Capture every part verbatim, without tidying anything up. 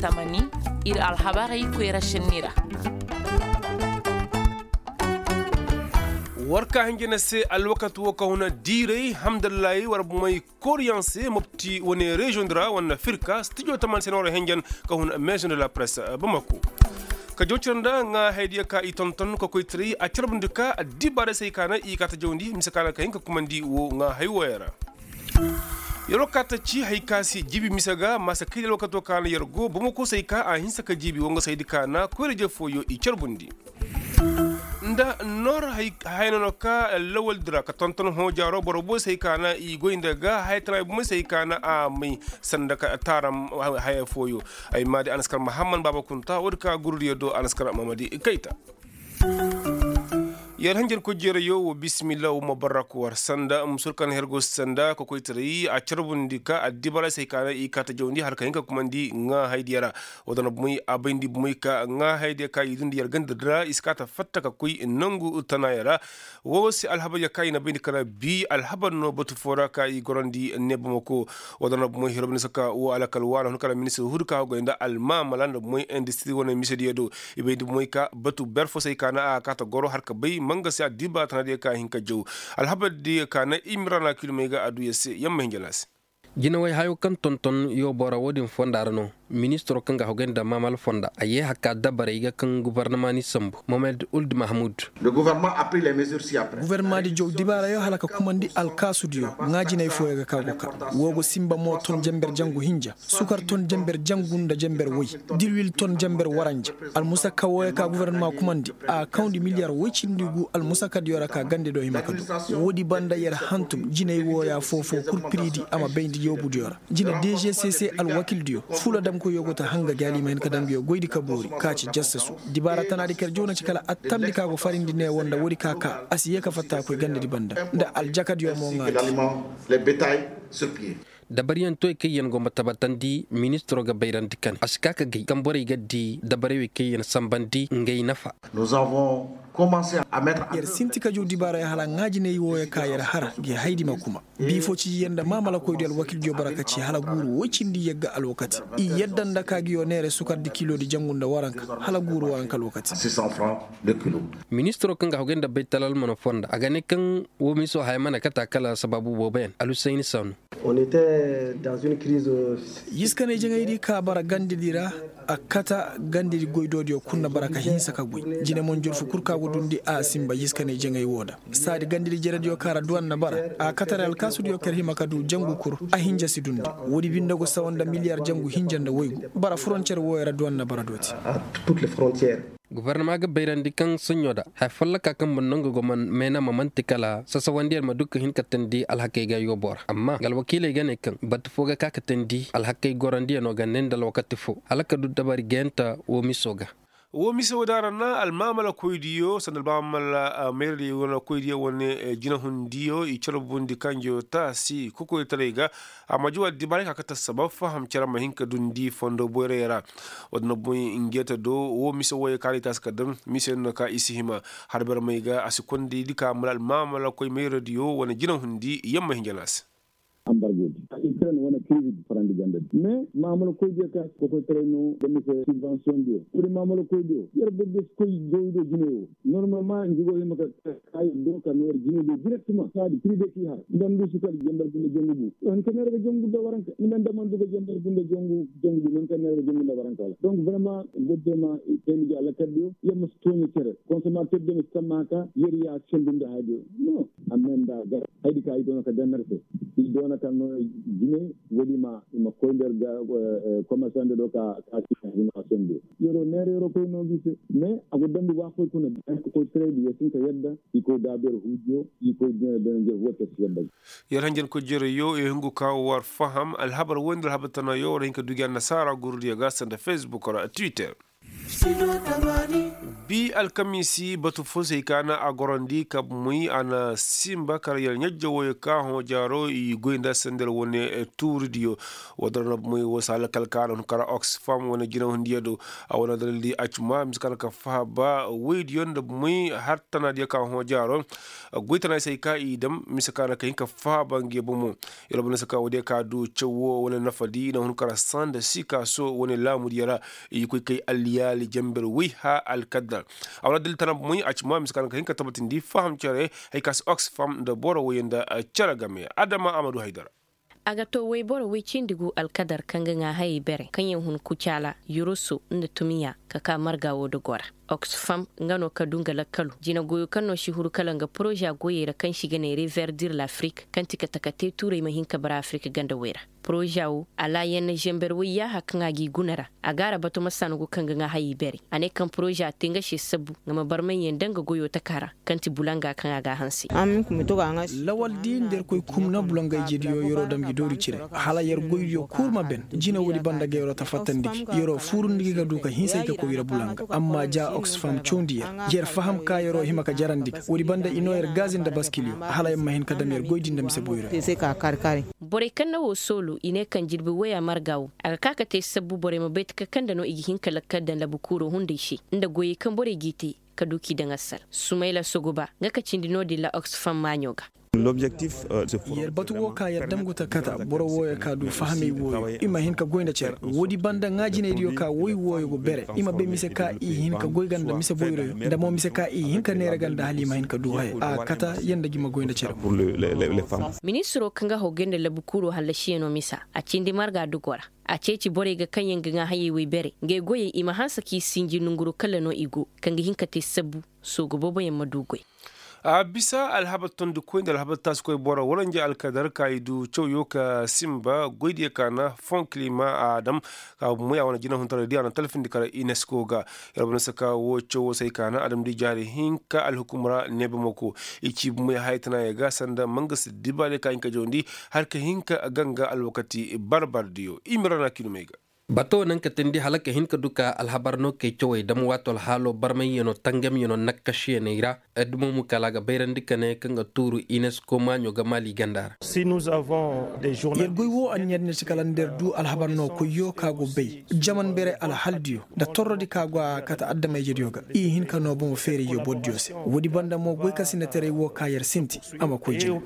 Tamani, ir alhabarey koyra šenni ra. War ka hinja na se alwakati wo ka huna diiray hamdallahi war bomey koriyaŋ se mopti wane reziyoŋ di ra wane firka stijo tamani se na war hinjan ka huna maison de la presse bamako. Ka jawcira nda ŋaa hayadiyo ka i tonton ka koy tiray a carbundi ka addibaaray se hay ka na i kaata jawndi mise ka na ka hin ka kumandi wo ŋaa hay wooyo ra. Yer wo ka ta ci hay ka se jiibi mise ga maasa kay da alwakato ka na yer go bamako se hay ka a hinsa ka jiibi wo nga se hay di ka na koyra-je fooyo i carbundi. Nda noor haya no no ka lawal di ra ka tonton hoojaaro boro booy se hay ka na i goy nda ga haya tana ay bomey se hay ka na a may sanda ka taaram haya fooyo. Ay maadi anaskar mahamman baaba kunta woodi ka gurdiyo do anaskar mamadi kayta. Yer hanjar kujjeerayo wo bismillah wo ma barrak war sanda musur kaŋ na her go sanda ka koytaray a carbundi ka addibaray se hay ka na i kaata jawndi hala ka hin ka kumandi ŋaa haydiyo ra. Wo da na bomey a bayndi bomey ka ŋaa haydiyo ka i dundi yer ganda di ra i si kaata fatta ka koy nangu tanayo ra. Wo se alhabar ya ka i na bayndi kala bi alhabar no batu fo ra ka i gorandi ne bamako. Wo da na bomey hiro bine saka wo alakal waana hun kala ministir hudu ka hogay nda almaamala nda bomey indistiri wane misediyo do. I bay nda bomey ka batu ber fo se ay ka na a kaata goro har ka bay manga se addiba tana diyo ka hin ka jaw. Alhabar diyo ka na imrana kilomey ga a du ya se yamma hinja na se. Jinawey hayo kaŋ tonton yooboo ra wo-din fonda ra no. Ministiro kaŋ ga hogay nda maamal fonda a yee hakka dabarey ga kaŋ gubarnama ni sambu mohamed uld mahmud. Gubarnama di jaw dibaarayo hala ka kumandi alkaasudiyo ŋaa jinay fooyo ga ka go ka woo go sinba mo ton jenber jangu hinja sukar ton jenber jangu nda jenber woy, dilwil ton jenber waranja. Almusakka wooyo ka gubarnama kumandi a kawndi miliyar woy cindi gu almusakkadiyo ra ka gande do hima ka du. Woodi banda yer hantum jinay wooya foofoo kul piriidi a ma bayndi yoobudiyo ra. Jine dgcc alwakildiyo fuladamkoyyo go ta hanga gi hala i ma hin ka daŋ nguyo goydi ka boori ka ci jassasu. Dibaara tanaadi ka yer jaw na ci kala attamdi ka go farindi neewo nda woodi ka ka a si yee ka fatta ka koy gandedi banda nda aljakadiyo mo ŋaadi. Dabaryaŋ toy kaŋ yaŋ go ma tabatandi ministiro ga bayrandi kane a si ka ka gay kaŋ borey ga di dabarey wey kaŋ yaŋ sambandi ngay nafa. Yer sinti ka jaw dibaarayo hala ŋaajiney wooyo ka yer hara gi haydi ma kuma. Biifo cijiyaŋ nda maamalakoydiyo alwakildiyo bara ka ci hala guuru woy cindi yagga alwakati. I yadda nda ka giyo neere sukardi kiloodi jangu nda waranka hala guuru waranka alwakati. Ministiro kaŋ ga hogay nda baytalal mana fonda a ga ne kaŋ woo miso haya mana kata kala sabaabu boobo yaŋ alusayni saanu. Yiskaney jaŋaydi ka bara gandedi ra. A kata gandedi goydoodiyo kul na bara ka hinsa ka goy. Jine monjorfu kul ka go dundi a sinba yiskaney jaŋay woo da. Saadi gandedi jerediyo ka ra duwan na bara a katare alkaasudiyo ka yer hima ka du jangu kul. A hinja si dundi. Woodi binde go sawa nda miliyar jangu hinja nda woygu bara foroncer wooyo ra duwan na bara dooti. Gubarnama ga bayrandi kaŋ soɲɲo da haya folloka kaŋ banda nga go man meena ma man'ti kala sasawandiyaŋ ma du ka hin ka teendi alhakey ga yooboo ra amma nga alwakiiley ga ne kaŋ batu foo ga ka ka teendi alhakey gorandiyaŋo ga ne nda alwakati foo hala ka du dabari gayanta woo miso ga. Woo miso da ra na almaamalakoydiyo sanda almaamala mayradiyo wane koydiyo wane jinahundiyo i carbundi kanjo taasi kokoytaray ga. A ma juwa dibaray ka kate assabab faham cere ma hin ka dundi fondo boyray ra. Woo din na boy njeeta do woo mise wooyey kaŋ a na i taasi ka daŋ mise yaŋ no ka i si hima. Har barmey ga a si konda i di ka mala almaamalakoy mayradiyo wane jinahundi yamma hinja no a se. Ambargo di ukraine wane kirizi di farandi ganda di mais maamalakoydiyo ka kokoytaray no ga mise sibvansiyoŋ diyo kuri maamalakoydiyo yer borodiyo si koy jawi do jinay woo. Normalement nji go hima ka kaayi do ka noori jinay do direktema saadi prive k'i har nda ndu si kala jember gunda jangu gu. Nda ndu ka neera ga jangu nda waranka nda nda man du ga jember gunda jangu jangu gu nda ndu ka neera ga jangu nda waranka wala donc vraiment goddema teendi gi alakaddiyo yer ma si tooɲa cere konsomater diyo ma si tamma ka yer ya sendu nda haadiyo. No. Amma nda gar haydi ka i doona ka daŋ ner se i doona ka no jinay wala i ma koy nda yer ga komersande do ka ka si hima sendu. Yeroo neera yeroo koy no gi se mais a go dambi waafoy kuna daŋ ka koy tiraydi yer si hin ka yadda i koy daabu yer huujiyo i koy dina dana njer woo te si yadda. Yer hanjankoy jereyoo i hungu ka war faham alhabar woy nda alhabar tanaayoo war hin ka du gi annasaara gurudiyo ga sanda facebook ra twitter. Bi alkamiisi batu fo se ay ka na a gorandi ka muy a na simba kala yar ɲajja wooyo ka hõ jaaro i goy nda sandar wane tuuridiyo. Wadara na muy wo saala kala ka na hun kara oxfam wane jinahundiyo do. A wane dalildi a ci ma mise ka na ka faha ba woydiyo nda muy har tanaadiyo ka hõ jaaro. Goy tanaadiyo se ay ka i dam mise ka na ka hin ka faha ba nge bomo. Yar bana se ka woodiyo ka du cawo wane nafadi na hun kara sanda sika so wane laamudiyo ra. I koy kay alliyaali jamber woy ha alkadar. A wala dil tana moy a ci ma mise ka na ka hin ka tabatindi faham cere. Hay ka si oxfam nda boro woy nda cere game adama amadu haydara. A ga to woy boro woy cindi gu alkadar kaŋ ga ŋaa hayey bere kaŋ yaŋ hun kucaala yurusu nda tumiya ka ka marga wo dogo ra. Oxfam nga no ka du nga lakkalu jina goyo kaŋ no si huru kala nga poroza goyey ra kaŋ si ga ne reverdir lafrik kaŋ ti ka taka te tuurey ma hin ka bara afrik ganda woy ra. Poroza wo alaayanna zember woy yaaha kaŋ a g'i guna ra. A ga a ra bato ma sangu kaŋ ga ŋaa hayey bere. A ne kaŋ poroza te nga se sabbu nga ma barmayyaŋ daŋ ga goyo taka ra kaŋ ti bulanga kaŋ a g'a hanse. Lawal di nda yerkoy kumna bulangayjediyo yeroo dam gi doori cire. Hala yer goydiyo kul ma ben. Jina woodi banda ga yeroo ta fattandi gi yeroo fuurundi gi ga du ka hinsa i ka koy yer bulanga. Amma ja oxfam cawndi yer. Yer faham ka yeroo hima ka jarandi ga woodi banda i noo yer gaazi nda baskiliyo hala yer ma hin ka dam yer goydi nda mise boyro. Borey kaŋ na woo soolu i ne kaŋ jirbi woya marga wo a ga ka ka te sabbu borey ma bay taka kaŋ nda no i ga hin ka lakkal daŋ labukuuroo hunday se nda goyey kaŋ borey g'i te. Ka du k'i daŋ assal sumayla sogoba nga ka cindi no-din ra oxfam maaɲo ga. Yer batu woo ka yer dam gu ta kata boro wooyo ka du fahamey wooyo i ma hin ka goy nda cere woodi banda ŋaa jinaydiyo ka woy wooyo go bere i ma bay mise ka i hin ka goy ga nda mise boyroyo nda mo mise ka i hin ka neera ga nda hala i ma hin ka du haya a kata yer nda gi ma goy nda cere. Ministiroo kaŋ ga hogey nda labukuuroo hallasiyanoo misa a cindi marga dogoo ra. A ceeci borey ga kaŋ yaŋ ga ŋaa hayey woy bere ngey goyey i ma hanse k'i sinji nonguroo kala no i go kaŋ ga hin ka te sabbu sooga booboyaŋ ma du goy. A bisa alhabar tondikoy nda alhabar taasikoy boro waranja alkadar ka i du cawyo ka simba goydiyo ka na fon kilima a dam ka moy a wane jinahuntaray di a na talfindi kala inesko ga. Yer wane saka wo cawo se ay ka na adamdi jaari hinka alhukum ra neebamako i ci moy haytanaayo ga sanda mangasi dibaadiyo ka hinka jawandi har ka hin ka ganga alwakati barbardiyo i ma ra na kiilumey ga. Bato naŋ ka teendi hala ka hin ka du ka alhabar no kay cawey dam waato alhaalo barmayyanoo tangamyanoo nakkasiyaney ra. Addumo mu kala a ga bayrandi ka ne kaŋ ga tuuru inesko maaɲo ga maali ganda ra. Yer goy wo anniya din na ci kala nda yer du alhabar no koyyo ka go bay jaman bere alhaldiyo nda torrodi ka go a kate adama-ijediyo ga i hin ka noo bomo feerayyo bordiyo se. Woodi banda mo goykasinataray wo ka yer sinti a ma koy jina.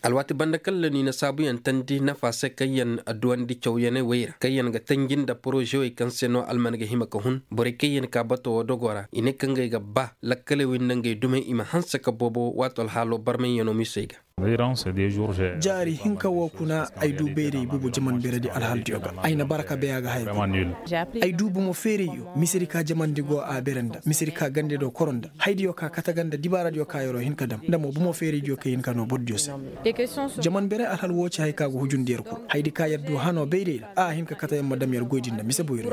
Alwaati banda kaŋ ra ni na saabuyaŋ teendi nafa se kaŋ yer duwandi cawyaney wey ra kaŋ yer ga tanji nda porozewey kaŋ se no alman ga hima ka hun borey kaŋ yer ka bato wo dogo ra i ne kaŋ ngey ga ba lakkaley wey nda ngey dumey i ma hanse ka boobo waato alhaalo barmayyanoo misey ga. Jaari hinka wo kuna ay du bayray bubu jaman beredi alhaldiyo ga ay na bara ka bay a ga haya. Ay du bumo feerayyo misedi ka jamandi go a bere nda misedi ka gande do koro nda haydiyo ka kate ga nda dibaaradiyo ka yeroo hin ka dam nda mo bumo feeraydiyo ka hin ka noo bordiyo se. Jaman bere alhal wo ci hay ka go hujundi yer kul haydi ka yer du hanoo bayray ra a hin ka kate yer ma dam yer goydi nda mise boyro.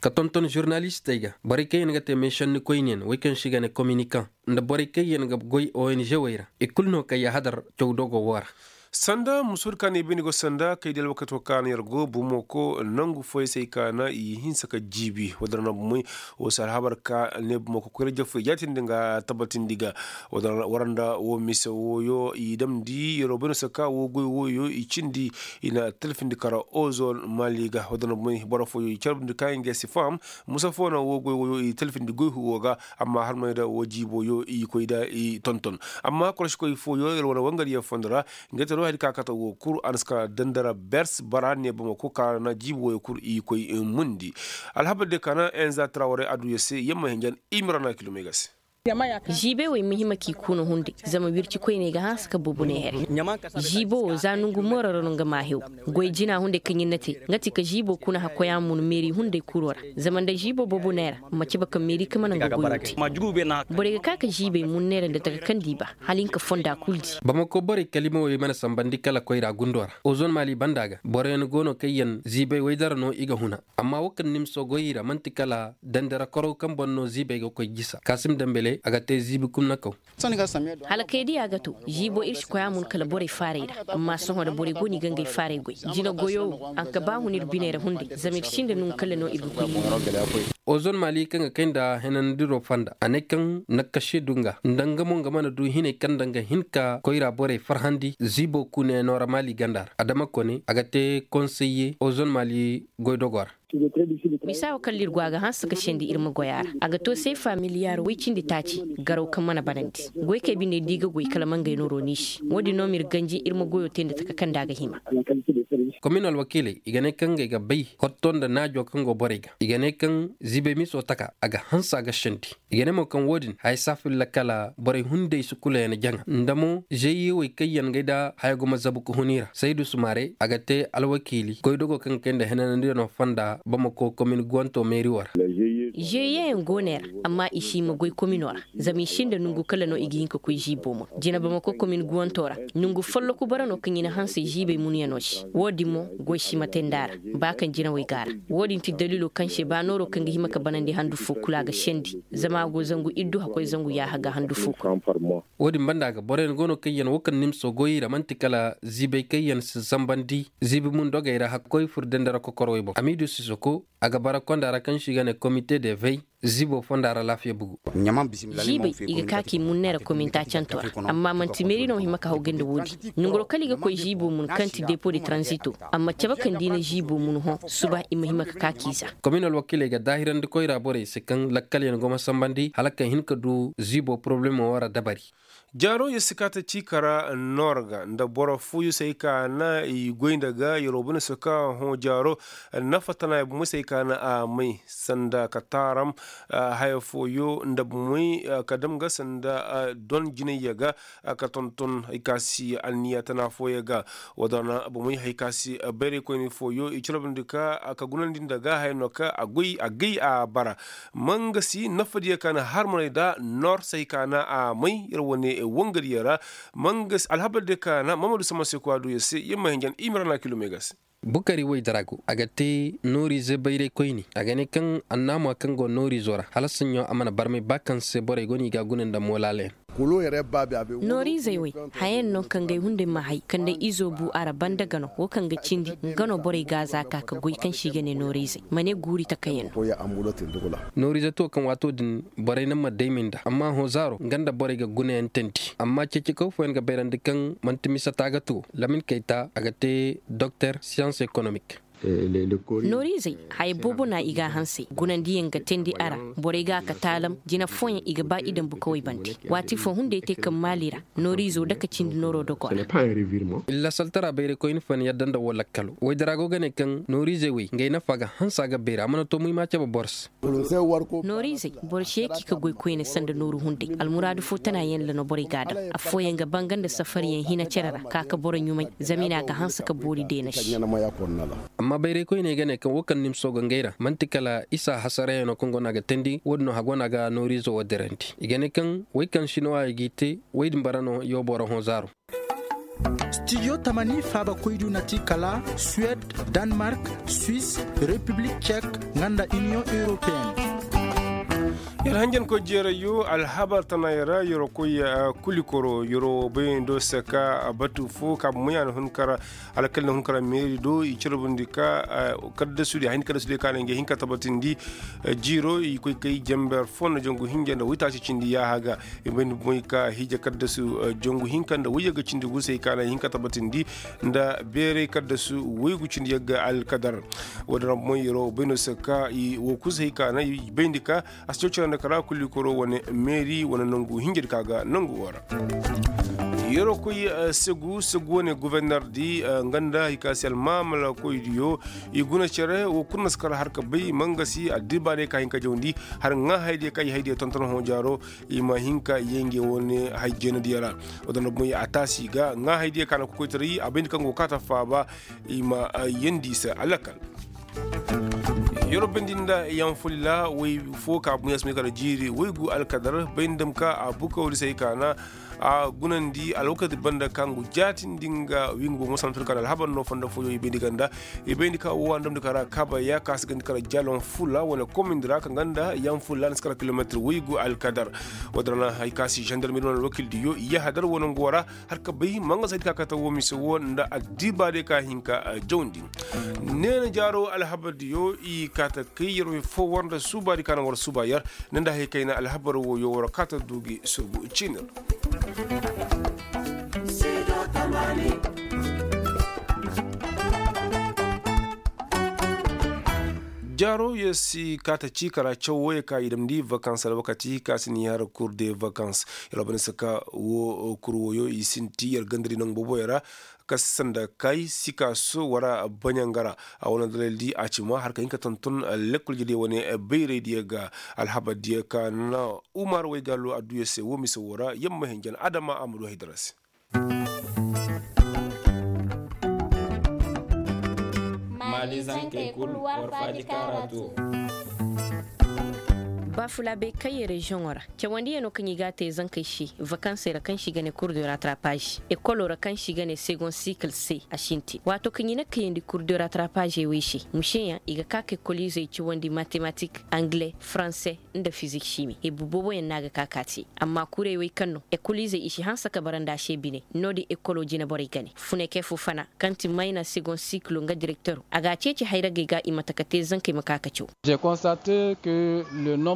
Ka tonton žurnalistey ga borey kaŋ yer ga te meešennikoyniyaŋ wey kaŋ se i ga ne kominikan nda borey kaŋ yer ga goy ong wey ra i kul no kay yahadar caw dogo wo ra. Sanda musoodi ka ne bayndi go sanda kay di alwakati wo ka na yer go bumoko nangu fooyey se ay ka na i hinsa ka jiibi wadara na bumey wo si alhabar ka ne bumoko koyra jafey jaatindi nga tabatindi ga. Waranda wo mise wooyo i damndi yeroo bayndi se ka wo goy wooyo i cindi i na talfindi kara ozon maali ga wadara na bumey boro fooyo i carbindi ka nga si faham. Musa foo na wo goy wooyo i talfindi goy huwo ga. Amma harmay nda wo jiiboyo i koy nda i tonton. Amma koroškoy fooyo yer wane wangariyaŋ fondo ra nga te no hari ka kate wo kul a na si ka dandara bers bara ne bamako ka na jiibo wooyo kul i koy mundi. Alhabar diyo ka na enza traware adduya se yamma hinjan i ma ra na kilomey ga se. Ziibey wey muhima k'i kuna hunday zama wircikoyney ga hanse ka boobo ne here. Ziibo wo za nongu mooro ra no nga ma hew. Goy jina hunday kaŋ ɲin na te nga ti ka ziibo kuna hakkoya mun meeri hunday kuro ra. Zama nda ziibo boobo neera ma cabe ka meeri ka mana nga goyo te. Borey ga ka ka ziibey mun neera nda taka kaŋ di ba hala hinka fonda kul di. Bamako borey kalimawey mana sambandi kala koyra gundo ra ozon maali banda ga boroyaŋ go no kaŋ yaŋ ziibey waydara no i ga huna. Amma wo kaŋ ni ma sogoy i ra man'ti kala dandara korow kaŋ boŋ no ziibey ga koy jisa kaasim dambele. A ga te ziibi kumnakaw. Hala kay diya ga to, ziibo ir si koy a mun kala borey faaray ra. Amma sohõ da borey go no i ga ngey faaray goy. Jina goyo wo a nka ba hun ir biney ra hunday zama ir sinda nongu kala no ir ga koy. Ozon maali kaŋ ga kay nda henanandiro fonda a ne kaŋ nakkase du nga nda nga mo nga mana du hinay kaŋ nda nga hin ka koyra borey farhandi ziibo kuneyaŋo ra maali ganda ra adama kone a ga te konseye ozon maali goydogo ra. Misa wo kaŋ ir go a ga hanse ka sendi ir ma goy a ra a ga to seefa miliyaar woy cindi taaci. Garaw kaŋ mana banandi goykey binde da i ga goy kala mangey no rooni se wo-din no ma ir ganji ir ma goyo te nda taka kaŋ nda a ga hima. Komin alwakiiley i ga ne kaŋ ngey ga bay hotto nda naajo kaŋ go borey ga i ga ne kaŋ ziibey miso taka a ga hanse a ga sendi. I ga ne mo kaŋ wo-din haya si a filla kala borey hunday si kula yaŋ jaŋa nda mo zeeyewey kaŋ yaŋ ngey da haya go ma zabu ka hun i ra saydu sumaare a ga te alwakiili goydogo kaŋ ga kay nda henanandiyano fonda bamako komin guwanto meeri wo ra. Zeeyeyaŋ go ne ra amma i si hima goy komino ra. Zama i sinda nongu kala no i ga hin ka koy ziibo mun jina bamako komin guwanto ra. Nongu folloku bara no kaŋ i na hanse ziibey munyaŋo se wo-din mo goy si ma te nda a ra. Ba kaŋ jinawey go a ra wo-din ti daliilo kaŋ se ba nooro kaŋ ga hima ka banandi handu fo kulu a ga sendi. Zama a go zangu iddu hakkoy zangu yaaha ga handu fo kulu. Wo-din banda ga boroyaŋ go no kaŋ yaŋ wo kaŋ nimso goy i ra man'ti kala ziibey kaŋ yaŋ si zambandi ziibi mun dogey ra hakkoy fur dendera kokorowey boŋ amiidu sisoko. A ga bara konda ra kaŋ se i ga ne komite de vey ziibo fonda ra laafiya bugu. Ziibey i ga ka k'i mun neera kominta canto ra. Amma man'ti meeri no hima ka haw ganda wo-din. Nongoro kala i ga koy ziibo mun kaŋ ti depo de tranzito. Amma cabe kaŋ da i na ziibo mun hõ suba i ma hima ka ka k'i za. Komin alwakiiley ga daahirandi koyra borey se kaŋ lakkalyaŋ go ma sambandi hala ka hin ka du ziibo porobalemo wo ra dabari. Jaaro yer si kaate ciika ra noor ga nda boro fooyo se ay ka na i goy nda ga yeroo bane se ka hõ jaaro. Nafa tana ya bomey se ay ka na a may sanda ka taaram haya fooyo nda bomey ka dam ga sanda don jinayya ga ka tonton hay ka si anniya tana fooyo ga. Wadana bomey hay ka si bayraykoyni fooyo i calabandi ka ka gunandi nda ga haya no ka a goy a gay a bara. Mangasi nafadiyo ka na harmaney da noor se hay ka na a may yer wane wangadiyo ra. Mangasi alhabardiyo ka na mamadu sama se ko a du yer se yer ma hinjan i ma ra na kilo megas. Bukari woy darago a ga te nooriize bayray koyne a ga ne kaŋ annaamuwa kaŋ go nooriizo ra hala saɲɲo a mana barmay ba kaŋ se borey go no i ga a guna nda moolaalayaŋ. Nooriizey wey hayayaŋ no kaŋ gay hunday ma hay kaŋ day izo bu a ra banda gano wo kaŋ ga cindi nga no borey ga a za ka ka goy kaŋ se i ga ne nooriizey ma ne guuri takayaŋ no. Nooriize to kaŋ waato din borey naŋ ma daymi nda amma hõ zaaro nga nda borey ga gunayaŋ teendi amma ceecekaw fooyaŋ ga bayrandi kaŋ man'ti misa taaga to lamin kayta a ga te doktor siyans ekonomik. Nooriizey haya boobo no i ga a hansay gunandiyaŋ ga teendi a ra. Borey ga a ka taalam jina fooyaŋ i ga ba i daŋ bukawey bande. Waati foo hunday te kaŋ maali ra nooriizo dake cindi nooroo dogo ra. Illa saltara bayraykoyni fooyaŋ yadda nda woo lakkalo woy dara go ga ne kaŋ nooriizey wey ngey nafa ga hanse a ga beeri a mana too muhima cebe boro se. Nooriizey boro si yee k'i ka goy koyne sanda nooru hunday almuraadu foo tana yaŋ ra no borey ga a daŋ. Affooyaŋ ga banga nda safariyaŋ hina cere ra ka ka boro ɲumay zama i na a ga hanse ka boori deena se. Amma bayraykoyney ga ne kaŋ woo kaŋ nimso ga ngey ra man'ti kala isa hasarayaŋo kaŋ go no a ga teendi woo din no hago no a ga nooriizo woo dirandi i ga ne kaŋ wey kaŋ sinuwaayey g'i te wey din bara no yoo boro hõ zaaro. Stijo tamani faabakoydiyo na ti kala suwed, danmark, swis, repiblik cek, nga nda iniyoŋ europeyen. Yer hanjankoy jeerayyo alhabar tana yer ra yeroo koy kulikoro yeroo bayando se ka batu foo ka bomoy a na hun kara alkali na hun kara meeri do i carbundi ka kaddasudi a hin kaddasudi ka na ngey hin ka tabatindi. Jiiro i koy kay jamber foo nda jangu hinja nda waytaaci cindi yaaha ga. I bayndi bomoy ka hiija kaddasu jangu hinka nda wayyaga cindi gu se i ka na hin ka tabatindi nda beeray kaddasu waygu cindi yagga alkadar. Woo din ra bomoy yeroo bayndo se ka i woo kul se i ka na i bayndi ka a si caw cere nda kara kulikoro wane meeri wane nangu hinjadi ka ga nangu woo ra. Yeroo koy segu segu wane guverner di nga nda hay ka se almaamala koydiyo i guna cere woo kul na si kar har ka bay mangasi addibaarey ka hin ka jawndi har ŋaahaydiyo ka i haydiyo tonton hõ jaaro. I ma hin ka yee nge wane hay jeenadiyo ra. Woo din ra bomoy a taasi ga ŋaahaydiyo ka na kokoytaray a bayndi kaŋ go kaata faaba. I ma yeendi i se alakal. Yeroo bayndi nda yanfulila woy foo ka buɲa si may kala jiiri woygu alkadar bayndi ma ka a bukawri se ay kaana a gunandi alwakati banda ka ngu jaatindi nga wingu bomo sanfir kaana alhabar no fondo fooyo i bayndi ganda. I bayndi ka woo a ndamndi ka ra kaaba ya ka si gandi kala jalon fula wane komindi ra ka nga nda yanfulila ni si kala kilometir woygu alkadar. Woodin ra na hay ka si zandarmeri wane alwakildiyo yahadar wane ngu woo ra. Har ka bay manga saydi ka kate woo mise woo nda addibaadiyo ka hin ka jawndi. Neena jaaro alhabardiyo i kaate kay yer way foo war nda suubaadi ka na war suuba yer. Ne nda hay kayna alhabar wooyo war kaate du gi surgu ciinir. Jaaro yer si kaate cii kara caw wooyo ka i damndi vakans alwakati ka si ni har kur de vakans. Yer wa bane saka woo kur wooyo i sinti yer gandari nangu booboyo ra. Ka si sanda kay sikaaso wara baɲanga ra. A wane dalaldi a ci ma har ka hin ka tonton lekkol jediyo wane bayraydiyo ga alhabardiyo ka na umar waygaalo adduyo se woo mise woo ra yamma hinjan adama a ma du haydara se. Maali zankey kul war faaji kaara to. Baafulaabey kaŋ ye reziyoŋo ra cawandiyanoo kaŋ i g'a te zankey se vakansey ra kaŋ se i ga ne kur de ratrapaazi ekolo ra kaŋ se i ga ne segon sikil se a sintin waato kaŋ i na kayandi kur de ratrapaazi wey se museyaŋ i ga ka ka ekoliizey cawandi matematik angle faranse nda fizik simi ibu booboyaŋ no a ga ka ka te. Amma kurey wey kaŋ no ekoliizey i si hanse ka bara nda a se bine. No-din ekolo jineborey gane funeke fo fana kaŋ ti mayna segon sikilo nga direktero a ga a ceeci hayragey ga i mate ka te zankey ma ka ka caw.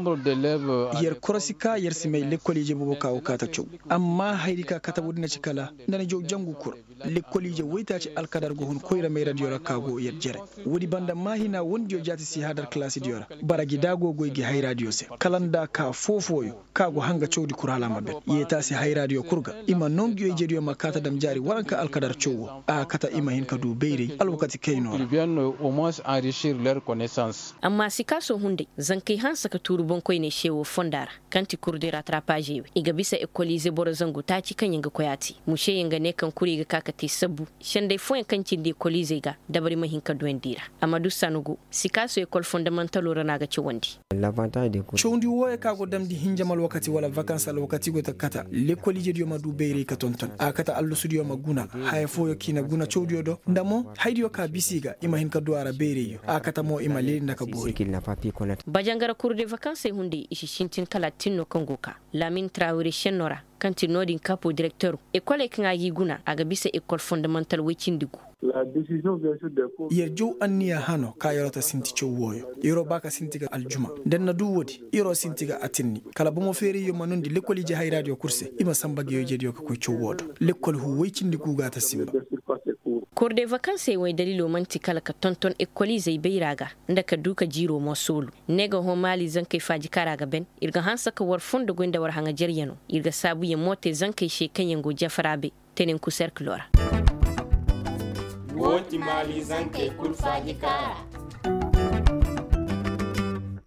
Yer korosi ka yer si may lekkol ije boobo ka go ka ta caw. Amma hayri ka kate woodin na ci kala nda ni jaw jangu kura. Lekkol ije woytaaci alkadar go hun koyra mayradiyo ra ka go yer jere. Woodi banda maahina wondiyo jaati si hadar kalaasidiyo ra. Bara gi da go goy gi hayraadiyo se kala nda ka foo-fooyo ka go hanga cawdi kura hala a ma ben. Yeetaasi hayraadiyo kul ga i ma noo nguyo ijediyo ma kaa ta dam jaari waranka alkadar caw wo a kate i ma hin ka du bayray alwakati kaynoo ra. Amma sikaaso hunday zankey hanse ka tuuru boŋkoyney se woo fonda ra. Kaŋ ti kur de ratrapaazey wey i ga bisa ekoliize boro zangu taaci kaŋ yaŋ ga koy a te. Museyaŋ ga ne kaŋ kuri ga ka ka te sabbu senday fooyaŋ kaŋ cindi ekoliizey ga dabari ma hin ka duwandi i ra. Amadu sanugu sikaaso ekol fondamantaloo ra no a ga cawandi. Cawndi wooyo kaŋ a go damndi hinjam alwakati wala vakans alwakati go ta kata lekol ijediyo ma du bayray ka tonton a kata allasudiyo ma guna. Haya fooyo kaŋ i na guna cawdiyo do nda mo haydiyo ka bisa i ga i ma hin ka du a ra bayrayyo a kata mo i ma leeri nda ka boori. Bajangara kur de vakansey hunday i si sintin kala a tin no kaŋ go ka laamin trawire senno ra. Kaŋ ti no-din kaapo direktero ekoley kaŋ a g'i guna a ga bisa ekol fondamantal woy cindi gu. Yer jaw anniya hano ka yer'o ta sinti caw wooyo. Yer'o ba ka sinti ga aljuma da ni na du woodi yer'o sinti ga atinni kala bomo feerayyo ma noondi lekol ije hayraadiyo kul se i ma sanba ga yojediyo ka koy caw woo do. Lekol huu woy cindi gu ga ta sinba. Kor de vakansey wey dalilo man'ti kala ka tonton ekoliizey bayra ga nda ka du ka jiiro mo soolu. Ne ga hõ maali zankey faaji kaŋ ra ga ben. Ir ga hanse ka war fondo goy nda war haŋajeryanoo ir ga saabuyaŋ mo te zankey se kaŋyaŋ go jafara bay tenenku serkiloo ra. Woo ti maali zankey kul faaji kaŋ ra.